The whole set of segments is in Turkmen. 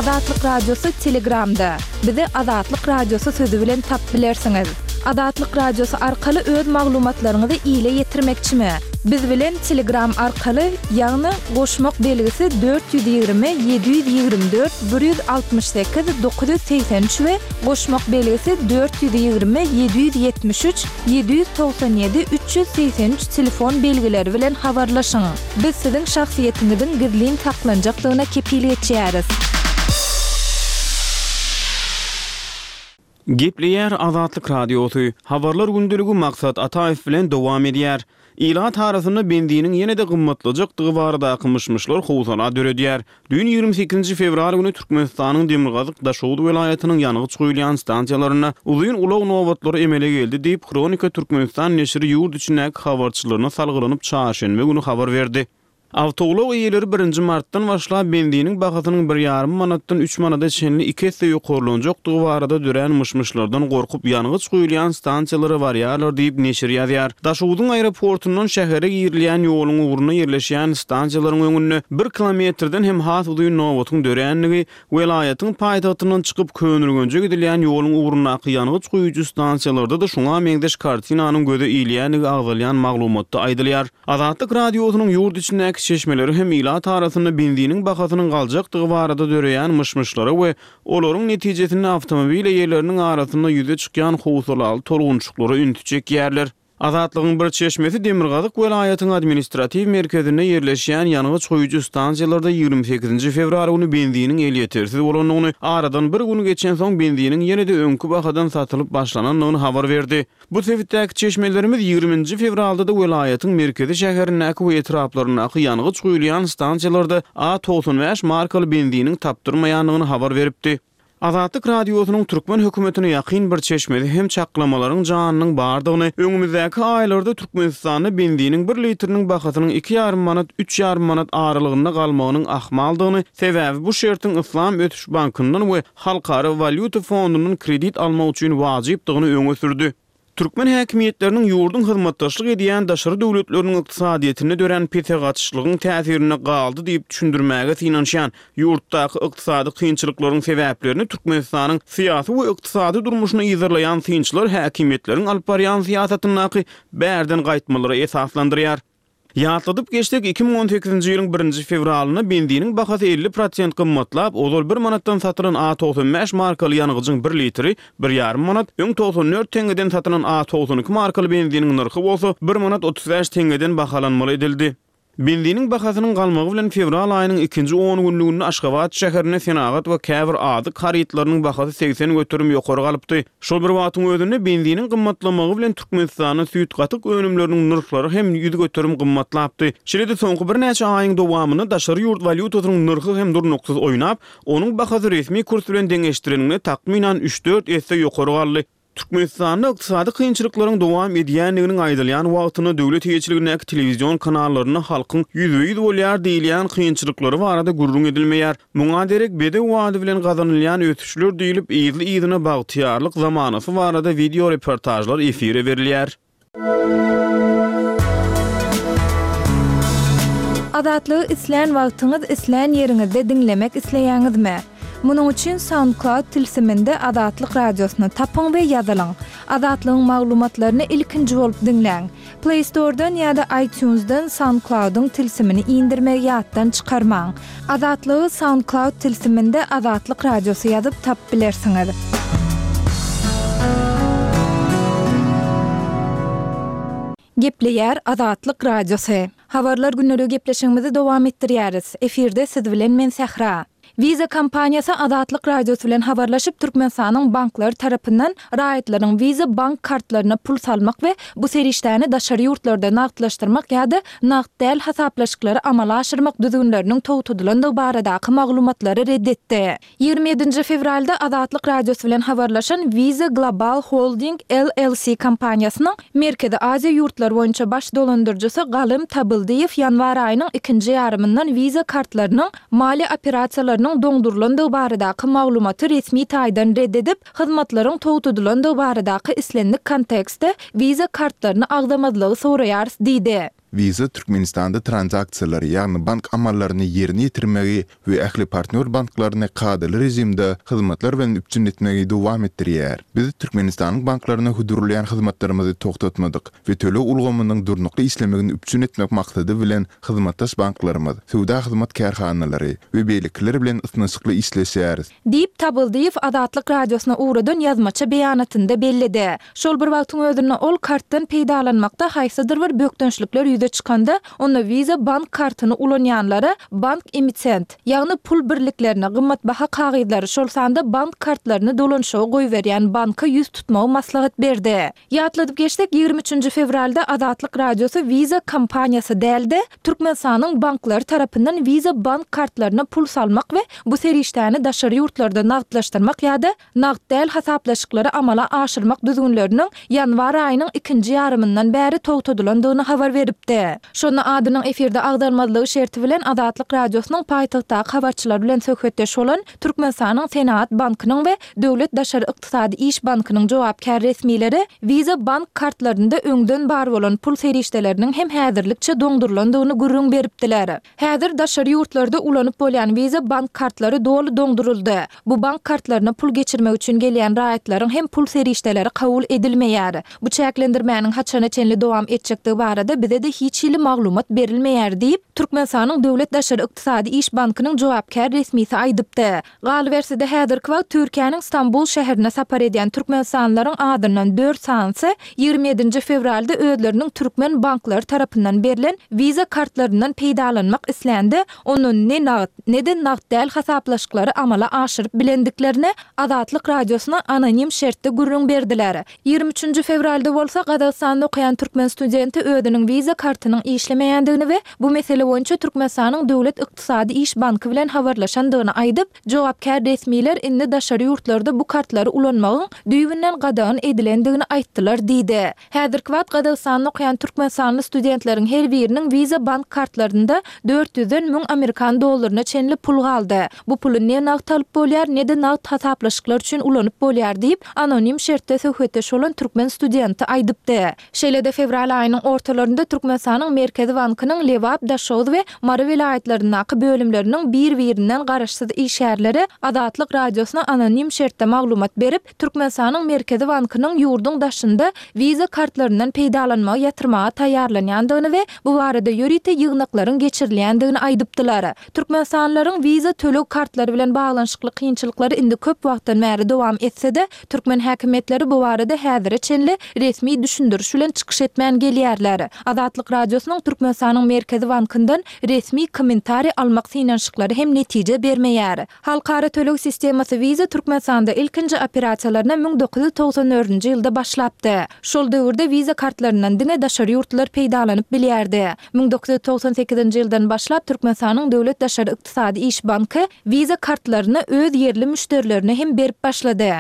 Azatlyk Radiosy Telegramda. Bizi Azatlyk Radiosy sözi bilen tapyp bilersiňiz. Azatlyk Radiosy arkaly öz maglumatlaryňyzy ile ýetirmekçimi? Biz bilen Telegram arkaly, ýagny goşmak belgisi 420 724 168 983 we goşmak belgisi 420 773 797 383 telefon belgileri bilen habarlaşyň. Biz siziň şahsyýetiňiziň gizlin saklanjakdygyna kepil geçýäris. Gepleýär Azatlyk Radiosy, Habarlar gündeligi Maksat Ataýew bilen dowam edýär. Ilat arasynda benziniň ýene-de gymmatlajakdygy baradaky myş-myşlar howsala döredýär. Düýn 28-nji fewral güni Türkmenistanyň demirgazyk Daşoguz welaýatynyň ýangyç guýulýan stansiýalarynda uzyn ulag nobatlary emele geldi diýip, Hronika Türkmenistan neşiri ýurt içindäki habarçylaryna salgylanyp çarşenbe güni habar berdi. Awtoulag eýeleri birinji martdan başlap benziniň bahasynyň bir ýarym manatdan üç manada çenli iki esse ýokarlanjakdygy barada dörän myş-myşlardan gorkup ýangyç guýulýan stansiýalara barýarlar diýip, neşir ýazýar. Daşogzuň aeroportundan şähere girilýän ýoluň ugrunda ýerleşýän stansiýalaryň öňünde bir kilometrden hem has uzyn nobatyň dörändigi, welaýatyň paýtagtyndan çykyp Köneürgenje gidilýän ýoluň ugrundaky ýangyç guýujy stansiýalarda-da şuňa meňzeş kartinanyň göze ilýändigi agzalýan maglumatda aýdylýar. Azatlyk Radiosynyň ýurt içindäki çeşmeleri hem ilat arasynda benziniň bahasynyň galjakdygy barada döreýän myş-myşlara we olaryň netijesinde awtomobil eýeleriniň arasynda ýüze çykýan howsalaly tolgunçyklara ünsi çekýärler. Azatlygyň bir çeşmesi demirgazyk welaýatyň administratiw merkezinde ýerleşýän ýangyç guýujy stansiýalarda 28-nji fewral güni benziniň elýetersiz bolandygyny, aradan bir gün geçensoň benziniň ýene-de öňki bahadan satylyp başlanandygyny habar berdi. Bu sebitdäki çeşmelerimiz 20 nji fewralda-da welaýatyň merkezi şäherindäki we etraplaryndaky ýangyç guýulýan stansiýalarda A 95 markaly benziniň tapdyrmaýandygyny habar beripdi. Azatlyk Radiosynyň türkmen hökümetine ýakyn bir çeşmesi hem çaklamalaryň janynyň bardygyny, öňümizdäki aýlarda Türkmenistanda benziniň bir litriniň bahasynyň iki ýarym manat, üç ýarym manat aralygynda galmagynyň ahmaldygyny, sebäbi bu şertiň Yslam ösüş bankyndan we Halkara walýuta fondundan kredit almak üçin wajypdygyny öňe sürdi. Türkmen häkimiýetleriniň ýurduň hyzmatdaşlyk edýän daşary döwletleriniň ykdysadyýetinde dörän pese gaçyşlygyň täsirinde galdy diýip düşündirmäge synanyşýan ýurtdaky ykdysady kynçylyklaryň sebäplerini Türkmenistanyň syýasy we ykdysady durmuşyny yzarlaýan synçylar häkimiýetleriň alyp barýan syýasatyndaky bärden gaýtmalara esaslandyrýar. Ýatladyp geçsek, 2018-nji ýylyň birinji fewralynda benziniň bahasy 50 prosent gymmatlap, ozal bir manatdan satylan A 95 markaly ýangyjyň bir litri bir ýarym manat, öň 94 teňňeden satylan A 92 markaly benziniň nyrhy bolsa bir manat 35 teňňeden bahalanmaly edildi. Benziniň bahasynyň galmagy bilen fewral aýynyň ikinji on günlüginde Aşgabat şäherinde senagat we käbir azyk harytlarynyň bahasy 80% ýokary galypdy. Şol bir wagtyň özünde, benziniň gymmatlamagy bilen Türkmenistanda süýt-gatyk önümleriniň nyrhlary hem 100% gymmatlapdy. Şeýle-de soňky birnäçe aýyň dowamynda daşary ýurt walýutasynyň nyrhy hem durnuksyz oýnap, onuň bahasy resmi kurs bilen deňeşdireniňde takmynan üç-dört esse ýokary galdy. Türkmenistanda ykdysady kynçylyklaryň dowam edýändiginiň aýdylýan wagtynda döwlet eýeçiligindäki telewizion kanallarynda halkyň ýüzbe-ýüz bolýar diýilýän kynçylyklary barada gürrüň edilmeýär. Muňa derek bedew ady bilen gazanylýan ösüşler diýlip, yzly-yzyna bagtyýarlyk zamanasy barada wideoreportažlar efire berilýär. Azatlygy islän wagtyňyz, islän ýeriňizde diňlemek isleýäňizmi? Munuň üçin SoundCloud tilsiminde Azatlyk Radiosyny tapyň we ýazylyň. Azatlygyň maglumatlaryny ilkinji bolup diňläň. Play Store-dan ýa-da iTunes-dan SoundCloud-yň tilsimini indirmegi ýatdan çykarmaň. Azatlygy SoundCloud tilsiminde Azatlyk Radiosy ýazyp tapyp bilersiňiz. Gepleýär Azatlyk Radiosy. Habarlar gündeligi gepleşigimizi dowam etdirýäris. Efirde siz bilen men Sähra. Visa kompaniýasy Azatlyk Radiosy bilen habarlaşyp, Türkmenistanyň banklary tarapyndan raýatlaryň Visa bank kartlaryna pul salmak we bu serişdäni daşary ýurtlarda nagtlaşdyrmak ýa-da nagt däl hasaplaşyklary amala aşyrmak düzgünleriniň togtadylandygy baradaky maglumatlary ret etdi. 27-nji fewralda Azatlyk Radiosy bilen habarlaşan Visa Global Holding LLC kompaniýasynyň Merkezi Aziýa ýurtlary boýunça baş dolandyryjysy Galym Tabyldyýew ýanwar aýynyň ikinji ýarymyndan Visa kartlarynyň maliýe operasiýalarynyň doňdurylandygy baradaky maglumaty resmi taýdan ret edip, hyzmatlaryň togtadylandygy baradaky islendik kontekstde Visa kartlaryny agzamazlygy soraýarys diýdi. Visa Türkmenistanda tranzaksiýalary, ýagny bank amallaryny ýerine ýetirmegi we ähli partnýor banklaryny kadaly režimde hyzmatlar bilen üpjün etmegi dowam etdirýär. Biz Türkmenistanyň banklaryna hödürleýän hyzmatlarymyzy togtatmadyk we töleg ulgamynyň durnukly işlemegini üpjün etmek maksady bilen hyzmatdaş banklarymyz, söwda hyzmat kärhanalary we beýlekiler bilen ysnyşykly işleşýäris. Diýip, Tabyldyýew Azatlyk Radiosyna ugradan ýazmaça beýanatynda belledi. Şol bir wagtyň özünde ol kartdan peýdalanmakda haýsydyr bir bökdençlikler ýüze çykanda, onda Visa bank kartyny ulanýanlara bank emitent, ýagny pul birliklerini, gymmatbaha kagyzlary, şol sanda bank kartlaryny dolanyşyga goýberýän banka ýüz tutmagy maslahat berdi. Ýatladyp geçsek, 23 nji fewralda Azatlyk Radiosy Visa kompaniýasy däl-de, Türkmenistanyň banklary tarapyndan Visa bank kartlaryna pul salmak we bu serişdäni daşary ýurtlarda nagtlaşdyrmak ýa-da nagt däl hasaplaşyklary amala aşyrmak düzgünleriniň ýanwar aýynyň ikinji ýarymyndan bäri togtadylandygyny habar beripdi. Şonda adynyň efirde agzalmazlygy şerti bilen Azatlyk Radiosynyň paýtagtdaky habarçylary bilen söhbetdeş bolan Türkmenistanyň Senagat bankynyň we Döwlet daşary ykdysady iş bankynyň jogapkär resmileri Visa bank kartlarynda öňden bar bolan pul serişdeleriniň hem häzirlikçe doňdurylandygyny gürrüň beripdiler. Häzir daşary ýurtlarda ulanyp bolýan Visa bank kartlary doly doňduryldy. Bu bank kartlaryna pul geçirmek üçin gelýän raýatlaryň hem pul serişdeleri kabul edilmeýär. Bu çäklendirmäniň haçana çenli dowam etjekdigi barada bize-de hiç hili maglumat berilmeýär diýip, Türkmenistanyň Döwlet daşary ykdysady iş bankynyň jogapkär resmisi aýdypdy. Galyberse-de, häzirki wagt Türkiýäniň Stambul şäherine sapar edýän türkmenistanlylaryň azyndan dört sanysy 27 nji fewralda özleriniň türkmen banklary tarapyndan berlen Visa kartlaryndan peýdalanmak islände, ondan ne nagt, ne-de nagt däl hasaplaşyklary amala aşyryp bilendiklerini Azatlyk Radiosyna anonim şertde gürrüň berdiler. 23 nji fewralda bolsa Gazagystanda okaýan türkmen studenti özüniň Visa kartynyň işlemeýändigini we bu mesele boýunça Türkmenistanyň Döwlet ykdysady iş banky bilen habarlaşandygyny aýdyp, jogapkär resmiler indi daşary ýurtlarda bu kartlary ulanmagyň düýbünden gadagan edilendigini aýtdylar diýdi. Häzirki wagt Gazagystanda okaýan türkmenistanly studentleriň her biriniň Visa bank kartlarynda dört ýüzden müň amerikan dollaryna çenli pul galdy. Bu puly ne nagt alyp bolýar, ne-de nagt hasaplaşyklar üçin ulanyp bolýar diýip, anonim şertde söhbetdeş bolan türkmen studenti aýdypdy. Şeýle-de fewral aýynyň ortalarynda Türkmenistanyň Merkezi bankynyň Lebap, Daşoguz we Mary welaýatlaryndaky bölümleriniň bir-birinden garaşsyz işgärleri Azatlyk Radiosyna anonim şertde maglumat berip, Türkmenistanyň Merkezi bankynyň ýurduň daşynda Visa kartlaryndan peýdalanmagy ýatyrmaga taýýarlanýandygyny we bu barada ýörite ýygnaklaryň geçirilýändigini aýdypdylar. Türkmenistanlylaryň Visa töleg kartlary bilen baglanyşykly kynçylyklary indi köp wagtdan bäri dowam etse-de, türkmen häkimiýetleri bu barada häzire çenli resmi düşündiriş bilen çykyş etmän gelýärler. Azatlyk Radiosynyň Türkmenistanyň Merkezi bankyndan resmi kommentariý almak synanyşyklary hem netije bermeýär. Halkara töleg sistemasy Visa Türkmenistanda ilkinji operasiýalaryna 1994-nji ýylda başlapdy. Şol döwürde Visa kartlaryndan diňe daşary ýurtlular peýdalanyp bilýärdi. 1998-nji ýyldan başlap Türkmenistanyň Döwlet daşary ykdysady iş banky Visa kartlaryny öz ýerli müşderilerine hem berip başlady.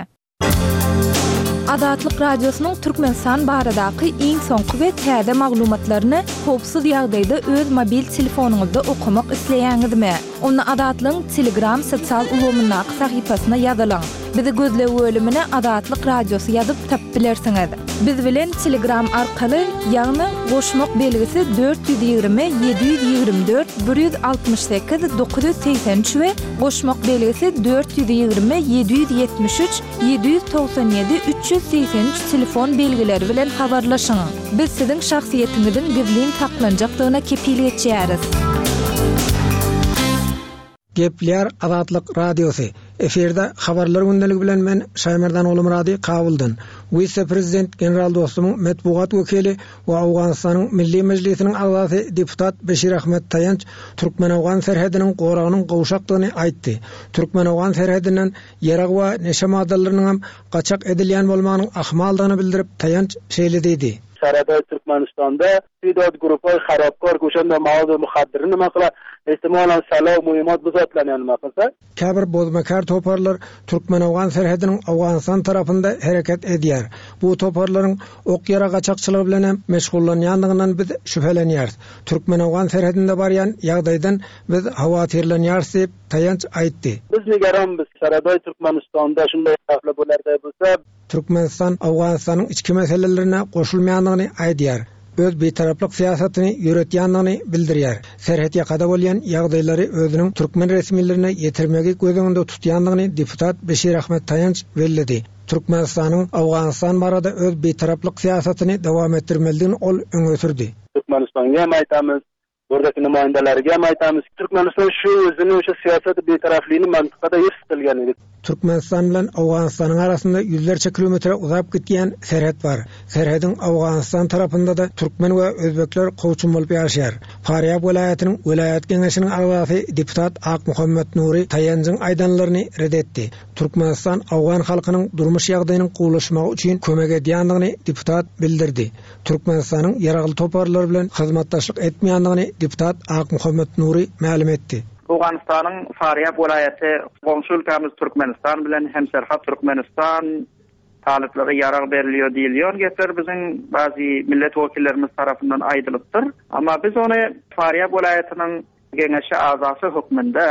Azatlyk Radiosynyň Türkmenistan baradaky iň soňky we täze maglumatlaryny howpsuz ýagdaýda öz mobil telefonyňyzda okamak isleýäňizmi? Onda Azatlygyň Telegram sosial ulgamyndaky sahypasyna ýazylyň. Bizi gözleg bölümine Azatlyk Radiosy ýazyp tapyp bilersiňiz. Biz bilen Telegram arkaly, ýagny goşmak belgisi 420 724 168 983 we goşmak belgisi 420 773 797 383 telefon belgileri bilen habarlaşyň. Biz siziň şahsyýetiňiziň gizlin saklanjakdygyna kepil geçýäris. Gepleýär Azatlyk Radiosy. Efirde Habarlar gündeligi bilen men Şaýmerdan Gulumyrady Kabuldan. Wise-prezident general Dostumyň metbugat wekili we Owganystanyň Milli Mejlisiniň agzasy deputat Beşir Ahmet Taýanç türkmen-owgan serhediniň goragynyň gowşakdygyny aýtdy. Türkmen-owgan serhedinden ýarag we neşe maddalarynyňam gaçak edilýän bolmagynyň ahmaldygyny bildirip Taýanç şeýle diýdi. Serhedde Türkmenistanda Tedad grupay harapkar koşanda mawady muhaddyry nima kylar, ehtimalan sala muhimat bu zatlarny nima kylsa. Käbir bozmakär toparlar türkmen-owgan serhediniň Owganystan tarapynda hereket edýär. Bu toparlaryň ok-ýarag gaçakçylygy bilen hem meşgullanýandygyndan biz şübhelenýäris. Türkmen-owgan serhedinde barýan ýagdaýdan biz howatyrlanýarys diýip, Taýanç aýtdy. Biz nigeranmyz, Serheday Türkmenistanda şunday hafla bolarday bolsa. Türkmenistan Owganystanyň içki meselelerine goşulmaýandygyny aýdýar. öz bitaraplyk syýasatyny ýöretýändigini bildirýär. Serhetýakada bolýan ýagdaýlary özüniň türkmen resmilerine ýetirmegi göz öňünde tutýandygyny deputat Beşir Ahmet Taýanç belledi. Türkmenistanyň Owganystan barada öz bitaraplyk syýasatyny dowam etdirmelidigini ol öňe sürdi. Türkmenistanga hem aýtamyz, buradaki namaýandalarga hem aýtamyz, Türkmenistan şu özüniň şu syýasat bitaraplygyny mantykada hifz kylgan edi. Türkmenistan bilen Owganystanyň arasynda ýüzlerçe kilometre uzap gitýän serhet bar. Serhediň Owganystan tarapynda-da türkmen we özbekler kowçum bolup ýaşaýar. Farýab welaýatynyň welaýat geňeşiniň agzasy deputat Akmuhammet Nury Taýanjyň aýdanlaryny ret etdi. Türkmenistan owgan halkynyň durmuş ýagdaýynyň gowulaşmagy üçin kömek edýändigini deputat bildirdi. Türkmenistanyň ýaragly toparlar bilen hyzmatdaşlyk etmeýändigini deputat Akmuhammet Nury mälim etdi. Owganystanyň Farýab welaýaty goňşy ülkämiz Türkmenistan bilen hemserhat Türkmenistan talyplara ýarag berilýär diýilýän gepler biziň bazy millet wekillerimiz tarapyndan aýdylypdyr. Emma biz ony Farýab welaýatynyň Geňeşi agzasy hökmünde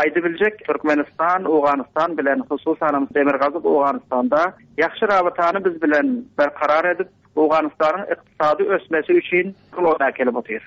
aýdybiljek Türkmenistan Owganystan bilen hususanam Demirgazyk Owganystanda ýagşy rabytany biz bilen berkarar edip Owganystanyň ykdysady ösmesi üçin rol oýnap gelip otyr.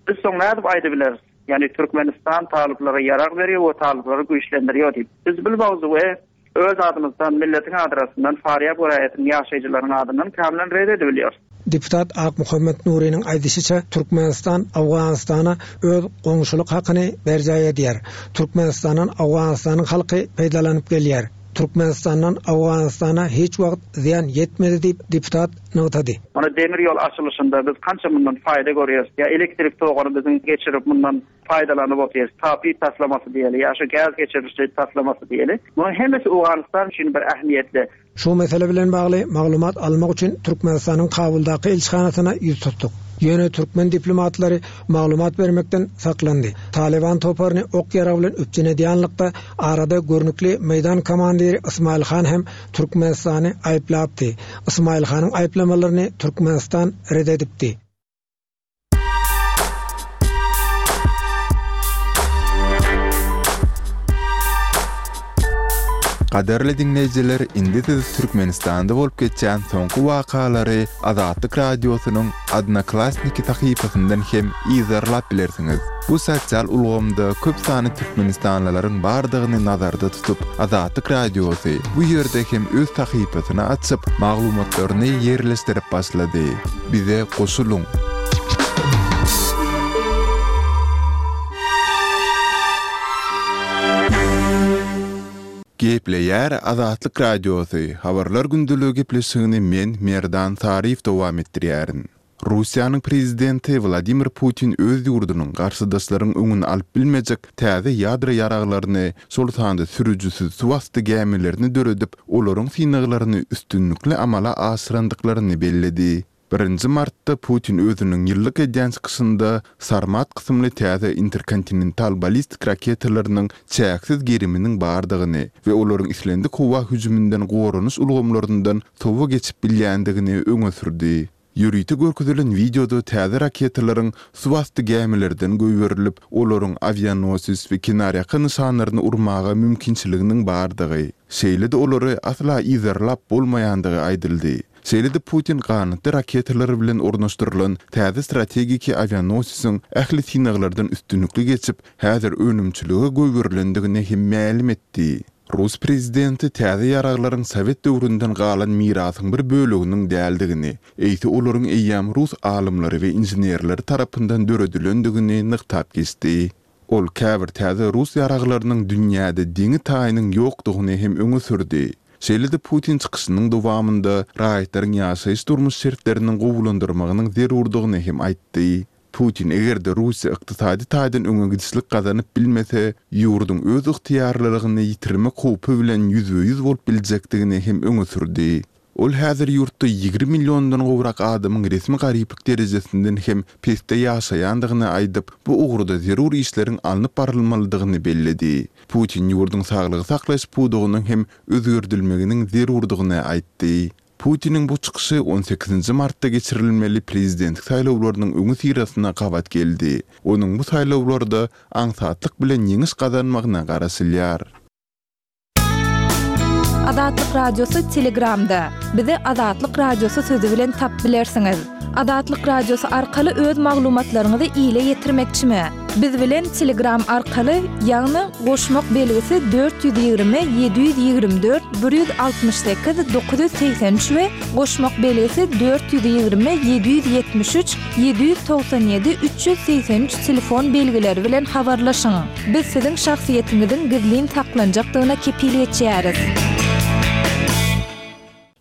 Biz soň nädip aýdybileris ýagny Türkmenistan talyplara ýarag berýär we talyplary güýçlendirýär diýip. Biz bil mowzugy Öz adymyzdan, milletiň adrasyndan, Farýab welaýatynyň ýaşaýjylarynyň adyndan kämlen ret edibilýär. Deputat Akmuhammet Nurynyň aýdyşyça, Türkmenistan Owganystana öz goňşulyk hakyny berjaý edýär. Türkmenistandan Owganystanyň halky peýdalanyp gelýär. Türkmenistandan Owganystana hiç wagt zyýan ýetmedi diýip, deputat nygtady. Mana demir ýol açylyşynda biz kança mundan faýda görýäris. Ýa elektrik toguny biziň geçirip mundan paýdalanyp otyrys. TAPI taslamasy diýeli, ýa şu gäz geçiriji taslamasy diýeli. Munuň hemmesi Owganystan üçin bir ähmiýetli. Şu mesele bilen bagly maglumat almak üçin Türkmenistanyň Kabuldaky ilçihanasyna ýüz tutduk. Ýöne türkmen diplomatlary maglumat bermekden saklandy. Talyban toparyny ok-ýarag bilen üpjün edýänlikde arada görnükli meýdan komandiri Ysmaýyl han hem Türkmenistany aýyplapdy. Ysmaýyl hanyň aýyplamalaryny Türkmenistan ret edipdi. Gadyrly diňleýjiler, indi siz Türkmenistanda bolup geçýän soňky wakalary Azatlyk Radiosynyň Odnoklassniki sahypasyndan hem yzarlap bilersiňiz. Bu sosial ulgamda köp sanly türkmenistanlylaryň bardygyny nazarda tutup, Azatlyk Radiosy bu ýerde hem öz sahypasyny açyp, maglumatlaryny ýerleşdirip başlady. Bize goşulyň! Gepleýär Azatlyk Radiosy, Habarlar gündeligi gepleşigini men, Merdan Saryýew dowam etdirýärin. Russiýanyň prezidenti Wladimir Putin öz ýurdunyň garşydaşlaryň öňüni alyp bilmejek täze ýadro ýaraglaryny, şol sanda sürüjisiz suwasty gämilerini döredip, olaryň synaglaryny üstünlikli amala aşyrandyklaryny belledi. Birinji martda Putin özüniň ýyllyk edýän çykyşynda Sarmat kysymly täze interkontinental ballistik raketalarynyň çäksiz geriminiň bardygyny we olaryň islendik howa hüjüminden goranyş ulgamlaryndan sowa geçip bilýändigini öňe sürdi. Ýörite görkezilen wideoda täze raketalaryň suwasty gämilerden goýberilip, olaryň awianosis we kenarýaka nyşanlaryny urmaga mümkinçiliginiň bardygy, şeýle-de olary asla yzarlap bolmaýandygy aýdyldy. Şeýle-de Putin ganatly raketalar bilen ornaşdyrylan täze strategiki awianosisiň ähli synaglardan üstünlikli geçip, häzir önümçilige goýberilendigini hem mälim etdi. Rus prezidenti täze ýaraglaryň sowet döwründen galan mirasyň bir böleginiň däldigini, eýse olaryň eýýäm rus alymlary we inženerleri tarapyndan döredilendigini nygtap geçdi. Ol käbir täze rus ýaraglarynyň dünýäde deňi-taýynyň ýokdugyny hem öňe sürdi. Şeýle-de Putin çykyşynyň dowamynda raýatlaryň ýaşaýyş-durmuş şertleriniň gowulandyrmagynyň zerurdygyny hem aýtdy. Putin eger-de Russiýa ykdysady taýdan öňe gidişlik gazanyp bilmese, ýurduň öz ygtyýarlylygyny ýitirmek howpy bilen ýüzbe-ýüz bolup biljekdigini hem öňe sürdi. Ol häzir ýurtda 20 milliondan gowrak adamyň resmi garyplyk derejesinden hem pesde ýaşaýandygyny aýdyp, bu ugurda zerur işleriň alnyp barylmalydygyny belledi. Putin ýurduň saglygy saklaýyş pudagynyň hem özgerdilmeginiň zerurdygyny aýtdy. Putiniň bu çykyşy on sekizinji martda geçirilmeli prezidentlik saýlawlarynyň öňüsyrasyna gabat geldi. Onuň bu saýlawlarda aňsatlyk bilen ýeňiş gazanmagyna garaşylýar. Azatlyk Radiosy Telegramda. Bizi Azatlyk Radiosy sözi bilen tapyp bilersiňiz. Azatlyk Radiosy arkaly öz maglumatlaryňyzy ile ýetirmekçimi? Biz bilen Telegram arkaly, ýagny goşmak belgisi 420 724 168 983 we goşmak belgisi 420 773 797 383 telefon belgileri bilen habarlaşyň. Biz siziň şahsyýetiňiziň gizlin saklanjakdygyna kepil geçýäris.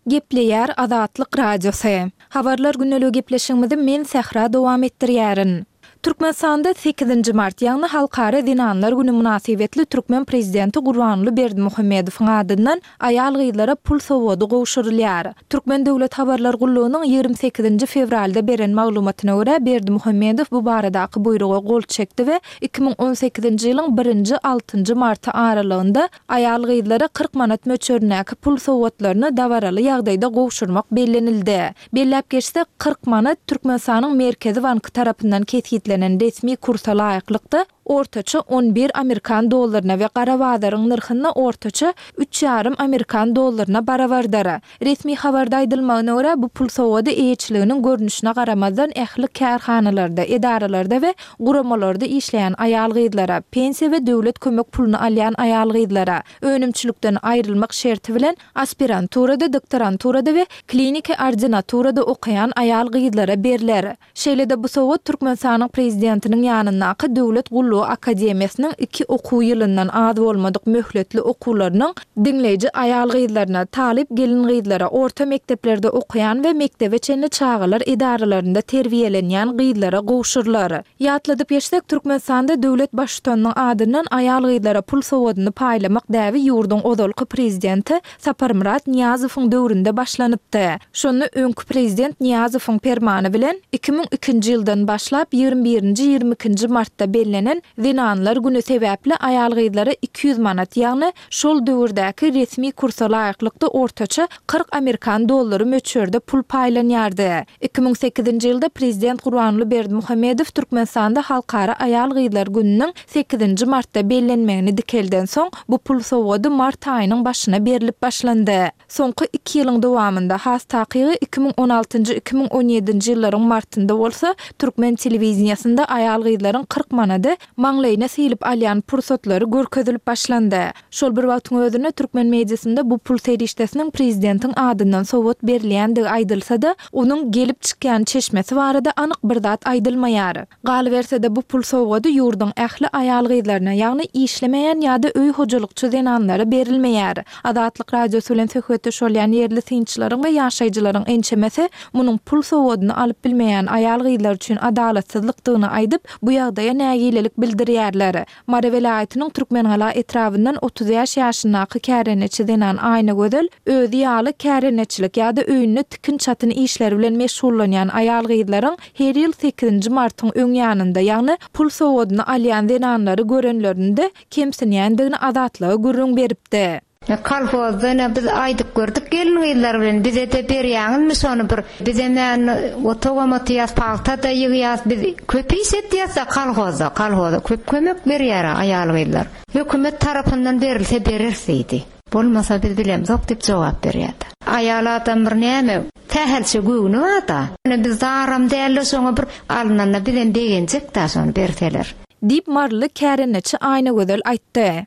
Gepleýär Azatlyk Radiosy. Habarlar gündeligi gepleşigimizi men Sähra dowam etdirýärin. Türkmenistanda sekizinji mart, ýagny Halkara zenanlar güni mynasybetli türkmen prezidenti Gurbanguly Berdimuhamedowyň adyndan aýal-gyzlara pul sowgady gowşurylýar. Türkmen döwlet habarlar gullugynyň 28-nji fewralda beren maglumatyna görä, Berdimuhamedow bu baradaky buýruga gol çekdi we 2018-nji ýylyň birinji-altynjy marty aralygynda Aýal-gyzlara 40 manat möçberindäki pul sowgatlaryny dabaraly ýagdaýda gowşurmak bellenildi. Belläp geçsek, 40 manat Türkmenistanyň Merkezi banky tarapyndan kesgitlenen resmi kursa laýyklykda, ortaça on bir amerikan dollaryna we gara bazaryň nyrhynda ortaça üç ýarym amerikan dollaryna barabardyr. Resmi habarda aýdylmagyna görä, bu pul sowgady eýeçiliginiň görnüşine garamazdan ähli kärhanalarda, edaralarda we guramalarda işleýän aýal-gyzlara, pensiýa we döwlet kömek puluny alýan aýal-gyzlara, önümçilikden aýrylmak şerti bilen aspiranturada, doktoranturada we kliniki ordinaturada okaýan aýal-gyzlara berler. Şeýle-de bu sowgat Türkmenistanyň Prezidentiniň ýanyndaky Döwlet gullugy akademiýasynyň iki okuw ýylyndan az bolmadyk möhletli okuwlarynyň diňleýji aýal-gyzlaryna, talyp gelin-gyzlara, orta mekdeplerde okaýan we mekdebe çenli çagalar edaralarynda terbiýelenýän gyzlara gowşurylar. Ýatladyp geçsek, Türkmenistanda döwlet Baştutanynyň adyndan aýal-gyzlara pul sowgadyny paýlamak däbi ýurduň ozalky Prezidenti Saparmyrat Nyýazowyň döwründe başlanypdy. Şonda öňki prezident Nyýazowyň permany bilen 2002-nji ýyldan başlap ýigrimi birinji, ýigrimi ikinji martda bellenen Zenanlar güni sebäpli aýal-gyzlara 200 manat, ýagny şol döwürdäki resmi kursa laýyklykda ortaça 40 amerikan dollary möçberde pul paýlanýardy. 2008-nji ýylda prezident Gurbanguly Berdimuhamedow Türkmenistanda Halkara aýal-gyzlar gününiň sekizinji martda bellenmegini dikeldensoň, bu pul sowgady mart aýynyň başyna berlip başlandy. Soňky iki ýylyň dowamynda, has takygy 2016-njy, 2017-nji ýyllaryň martynda bolsa, türkmen telewideniýesinde aýal-gyzlaryň 40 manady maňlaýyna sylyp alýan pursatlary görkezilip başlandy. Şol bir wagtyň özünde türkmen mediasynda bu pul serişdesiniň prezidentiň adyndan sowgat berilýändigi aýdylsa-da, onuň gelip çykýan çeşmesi barada anyk bir zat aýdylmaýar. Galyberse-de, bu pul sowgady ýurduň ähli aýal-gyzlaryna, ýagny işlemeýän ýa-da öý hojalykçy zenanlara berilmeýär. Azatlyk Radiosy bilen söhbetdeş bolýan ýerli synçylaryň we ýaşaýjylaryň ençemesi munuň pul sowgadyny alyp bilmeýän aýal-gyzlar üçin adalatsyzlykdygyny aýdyp, bu ýagdaýa nägilelik bildirýärler. Mary welaýatynyň Türkmengala etrabyndan 35 ýaşyndaky kärendeçi zenan Aýnagözel özi ýaly kärendeçilik ýa-da öýünde tikin-çatyn işleri bilen meşgullanýan aýal-gyzlaryň her ýyl sekizinji martyň öň ýanynda, ýagny pul sowgadyny alýan zenanlary görenlerinde kemsinýändigini Azatlyga gürrüň beripdi. Kolhozda ine biz aýdyp gördük gelin-gyzlar bilen, bize-de berýäňizmi şony bir, bizem indi otagam oturýas, pagta-da ýygýas, biz köp iş etýäs-de kolhozda, kolhoza köp kömek berýär-ä aýal-gyzlar. Hökümet tarapyndan berilse bereris diýdi. Bolmasa biz bilemzok diýip jogap berýärdi. Aýal adam bir näme, sähelçe göwni bar-da. Ine biz zaram däl-de şoňa bir alnanda bizem begenjek-dä şony berseler. Diýip, maryly kärendeçi Aýnagözel aýtdy.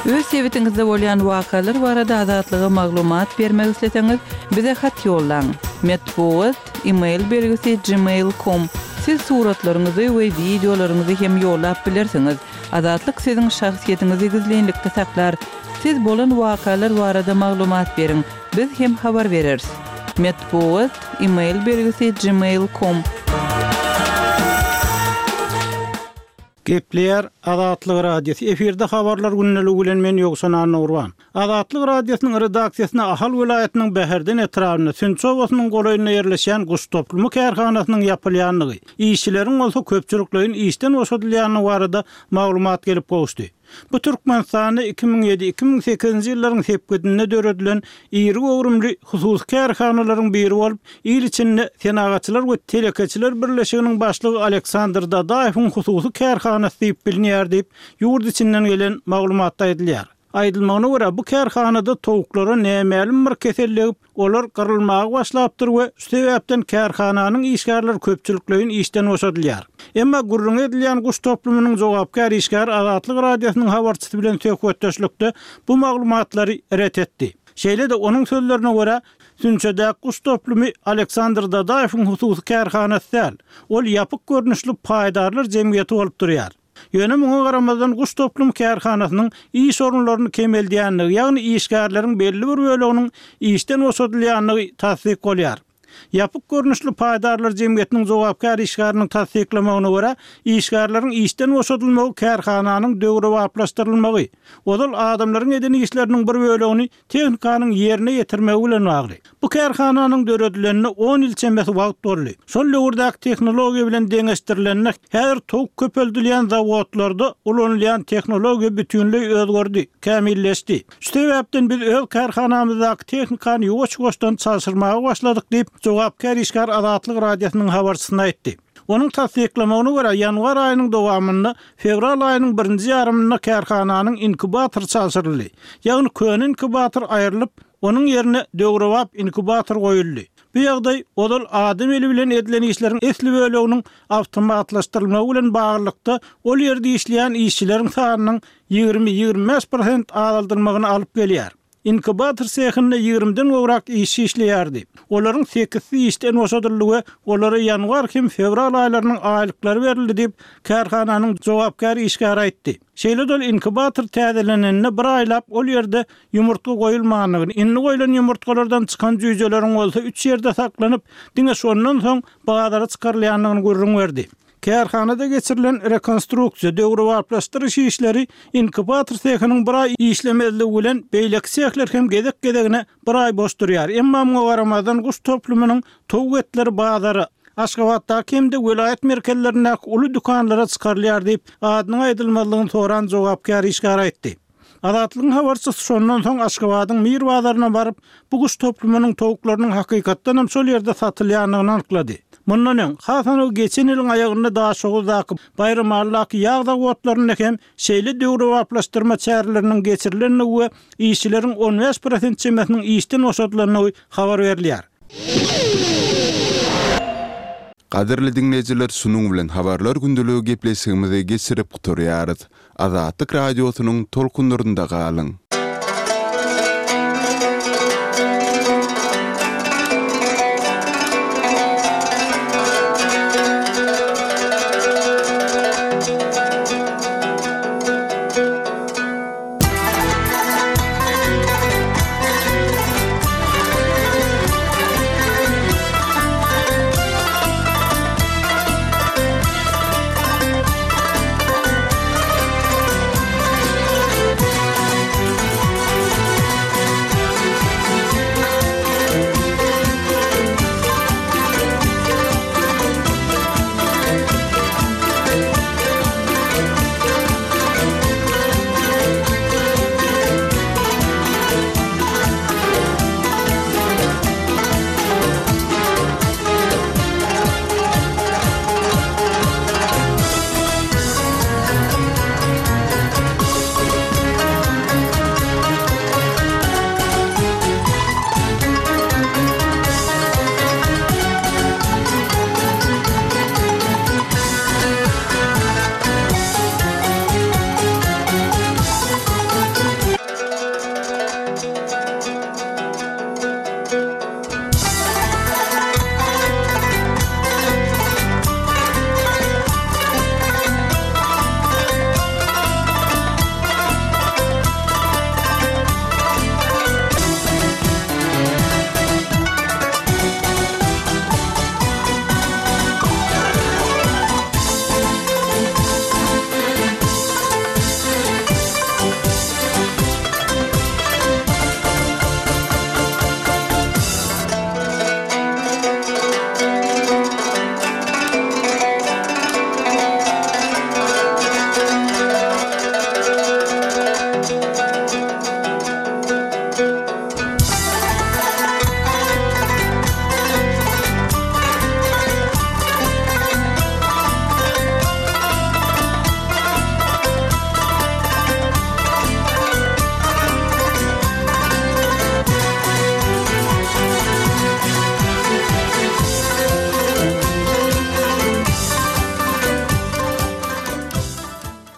Öz sebitiňizde bolýan wakalar barada Azatlyga maglumat bermek isleseňiz, bize hat ýollaň. Metbugat, e-mail belgisi gmail com. Siz suratlaryňyzy we wideolaryňyzy hem ýollap bilersiňiz. Azatlyk siziň şahsyýetiňizi gizlinlikde saklar. Siz bolan wakalar barada maglumat beriň, biz hem habar bereris. Metbugat, e-mail belgisi gmail com. Gepleýär Azatlyk Radiosy, efirde habarlar gündeligi bilen men Ýowşan Annagurban. Azatlyk Radiosynyň redaksiýasyna Ahal welaýatynyň Bäherden etrabynda, Sünçi obasynyň golaýynda ýerleşýän guş toplumy kärhanasynyň ýapylýandygy, işçileriň bolsa köpçülikleýin işden boşadylýandygy barada maglumat gelip gowuşdy. Bu Türkmenistanda 2007, 2008-nji ýyllaryň sepgidinde döredilen iri göwrümli hususy kärhanalaryň biri bolup, il içinde Senagatçylar we telekeçiler birleşiginiň başlygy Aleksandr Dadaýewiň hususy kärhanasy diýip bilinýär diýip, ýurt içinden gelen maglumatda aýdylýar. Aýdylmagyna görä, bu kärhanada towuklara nämälim bir kesel degip, olar gyrylmaga başlapdyr we şu sebäpden kärhananyň işgärleri köpçülikleýin işden boşadylýar. Emma gürrüňi edilýän guş toplumynyň jogapkär işgäri Azatlyk Radiosynyň habarçysy bilen söhbetdeşlikde bu maglumatlary ret etdi. Şeýle-de, onuň sözlerine görä, Sünçedäki guş toplumy Aleksandr Dadaýewiň hususy kärhanasy däl, ol ýapyk görnüşli paýdarlar jemgyýeti bolup durýar. Ýöne muňa garamazdan guş toplum kärhanasynyň iş orunlaryny kemeldýändigi, ýagny işgärleriň belli bir böleginiň işden boşadylýandygy tassyk bolýar. Ýapyk görnüşli paýdarlar jemgyýetiniň jogapkär işgäriniň tassyklamagyna görä, işgärleriň işden boşadylmagy kärhananyň döwrebaplaşdyrylmagy, ozal adamlaryň eden işleriniň bir bölegini tehnikanyň ýerine ýetirmegi bilen bagly. Bu kärhananyň döredilenine on ýyl çemesi wagt boldy. Şol döwürdäki tehnologiýa bilen deňeşdirilende, häzir towuk köpeldilýän zawodlarda ulanylýan tehnologiýa bütinleý özgerdi, kämilleşdi. Şu sebäpden biz öz kärhanamyzdaky tehnikany ýuwaş-ýuwaşdan çalşyrmaga başladyk diýip, jogapkär işgär Azatlyk Radiosynyň habarçysyna aýtdy. Onuň tassyklamagyna görä, ýanwar aýynyň dowamynda, fewral aýynyň birinji ýarymynda kärhananyň inkubatory çalşyryldy. Ýagny köne inkubator aýrylyp, onuň ýerine döwrebap inkubator goýuldy. Bu ýagdaý ozal adam eli bilen edilen işleriň esli böleginiň awtomatlaşdyrylmagy bilen baglylykda ol ýerde işleýän işçileriň sanynyň 20, 25 prosent azaldylmagyna alyp gelýär. Inkubator sehinde ýigrimiden gowrak işçi işleýärdi. Olaryň sekizsi işden boşadyldy we olara ýanwar hem fewral aýlarynyň aýlyklary berildi diýip, kärhananyň jogapkär işgäri aýtdy. Şeýle-de ol inkubator täzelenenine bir aýlap ol ýerde ýumurtga goýulmandygyny, indi goýlan ýumurtgalardan çykan jüýjeleriň bolsa üç ýerde saklanyp, diňe şondan soň bazara çykarylýandygyny gürrüň berdi. Kärhanada geçirilen rekonstruksiýa, döwrebaplaşdyryş işleri inkubator sehiniň bir aý işlemezligi bilen beýleki sehler hem gezek-gezegine bir aý boş durýar. Emma muňa garamazdan guş toplumynyň towuk etleri bazara, Aşgabatdaky hem-de welaýat merkezlerindäki uly dükanlara çykarylýar diýip, adynyň aýdylmazlygyny soran jogapkär işgär aýtdy. Azatlygyň habarçysy şondan soň Aşgabadyň Mir bazaryna baryp, bu guş toplumynyň towuklarynyň hakykatdan hem şol ýerde satylýandygyny anyklady. Mundan öň, has anygy geçen ýylyň aýagynda Daşoguzdaky, Baýramalydaky ýag zawodlarynda hem şeýle döwrebaplaşdyrma çäreleriniň geçirilendigi we işçileriň on bäş prosent çemesiniň işden boşadylandygy habar berilýär. Gadyrly diňleýjiler şunuň bilen Habarlar gündeligi gepleşigimizi geçirip gutarýarys. Azatlyk Radiosynyň tolkunlarynda galyň!